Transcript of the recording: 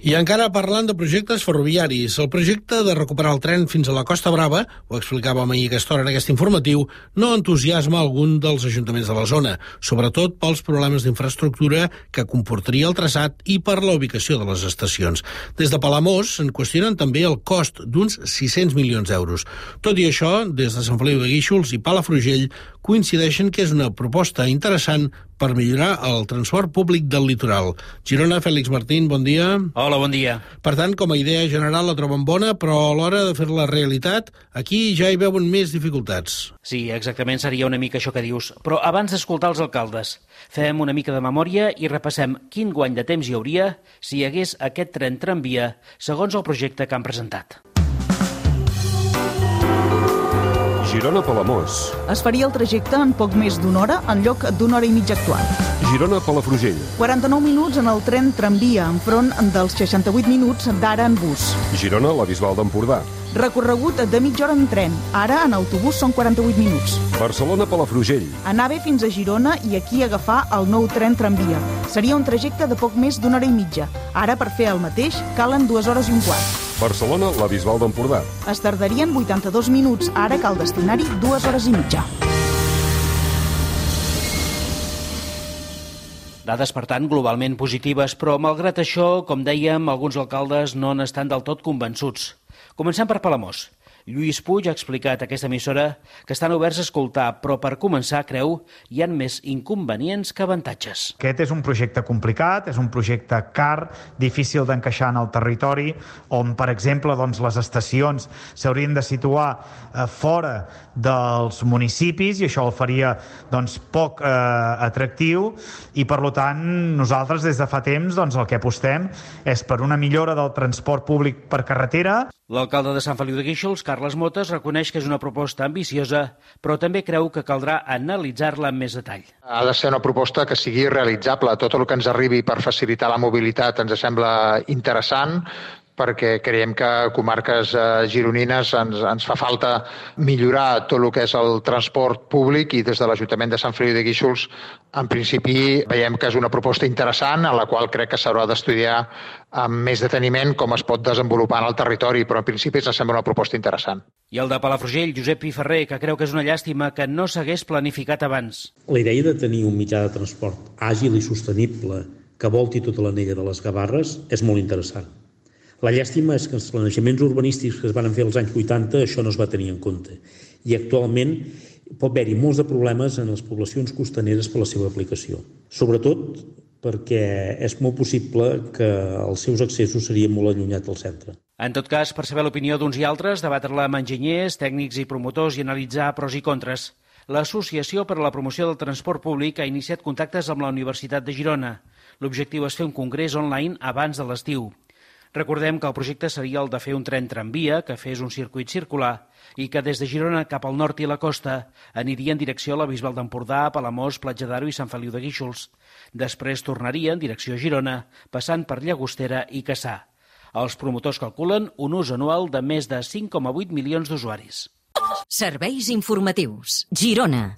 I encara parlant de projectes ferroviaris, el projecte de recuperar el tren fins a la Costa Brava, ho explicàvem ahir a aquesta hora en aquest informatiu, no entusiasma algun dels ajuntaments de la zona, sobretot pels problemes d'infraestructura que comportaria el traçat i per la ubicació de les estacions. Des de Palamós se'n qüestionen també el cost d'uns 600 milions d'euros. Tot i això, des de Sant Feliu de Guíxols i Palafrugell coincideixen que és una proposta interessant per millorar el transport públic del litoral. Girona, Fèlix Martín, bon dia. Hola, bon dia. Per tant, com a idea general la troben bona, però a l'hora de fer-la realitat, aquí ja hi veuen més dificultats. Sí, exactament, seria una mica això que dius. Però abans d'escoltar els alcaldes, fem una mica de memòria i repassem quin guany de temps hi hauria si hi hagués aquest tren tramvia, segons el projecte que han presentat. Girona-Palamós. Es faria el trajecte en poc més d'una hora en lloc d'una hora i mitja actual. Girona-Palafrugell. 49 minuts en el tren tramvia, enfront dels 68 minuts d'ara en bus. Girona, la Bisbal d'Empordà. Recorregut de mitja hora en tren. Ara en autobús són 48 minuts. Barcelona-Palafrugell. Anar bé fins a Girona i aquí agafar el nou tren tramvia. Seria un trajecte de poc més d'una hora i mitja. Ara, per fer el mateix, calen 2 hores i un quart. Barcelona, la Bisbal d'Empordà. Es tardarien 82 minuts. Ara cal destinar-hi 2 hores i mitja. Dades, per tant, globalment positives, però malgrat això, com dèiem, alguns alcaldes no n'estan del tot convençuts. Comencem per Palamós. Lluís Puig ha explicat a aquesta emissora que estan oberts a escoltar, però per començar, creu, hi ha més inconvenients que avantatges. Aquest és un projecte complicat, és un projecte car, difícil d'encaixar en el territori, on, per exemple, les estacions s'haurien de situar fora dels municipis i això el faria poc atractiu i, per tant, nosaltres des de fa temps el que apostem és per una millora del transport públic per carretera. L'alcalde de Sant Feliu de Guíxols, Carles Motes, reconeix que és una proposta ambiciosa, però també creu que caldrà analitzar-la amb més detall. Ha de ser una proposta que sigui realitzable. Tot el que ens arribi per facilitar la mobilitat ens sembla interessant, perquè creiem que a comarques gironines ens fa falta millorar tot el que és el transport públic i des de l'Ajuntament de Sant Feliu de Guíxols en principi veiem que és una proposta interessant a la qual crec que s'haurà d'estudiar amb més deteniment com es pot desenvolupar en el territori, però en principi ens sembla una proposta interessant. I el de Palafrugell, Josep Piferrer, que creu que és una llàstima que no s'hagués planificat abans. La idea de tenir un mitjà de transport àgil i sostenible que volti tota l'anella de les Gavarres és molt interessant. La llàstima és que els planejaments urbanístics que es van fer als anys 80 això no es va tenir en compte i actualment pot haver-hi molts de problemes en les poblacions costaneres per la seva aplicació. Sobretot perquè és molt possible que els seus accessos serien molt allunyats del centre. En tot cas, per saber l'opinió d'uns i altres, debatre-la amb enginyers, tècnics i promotors i analitzar pros i contres. L'Associació per a la Promoció del Transport Públic ha iniciat contactes amb la Universitat de Girona. L'objectiu és fer un congrés online abans de l'estiu. Recordem que el projecte seria el de fer un tren tramvia que fes un circuit circular i que des de Girona cap al nord i la costa aniria en direcció a la Bisbal d'Empordà, Palamós, Platja d'Aro i Sant Feliu de Guíxols. Després tornaria en direcció a Girona, passant per Llagostera i Cassà. Els promotors calculen un ús anual de més de 5,8 milions d'usuaris. Serveis informatius. Girona.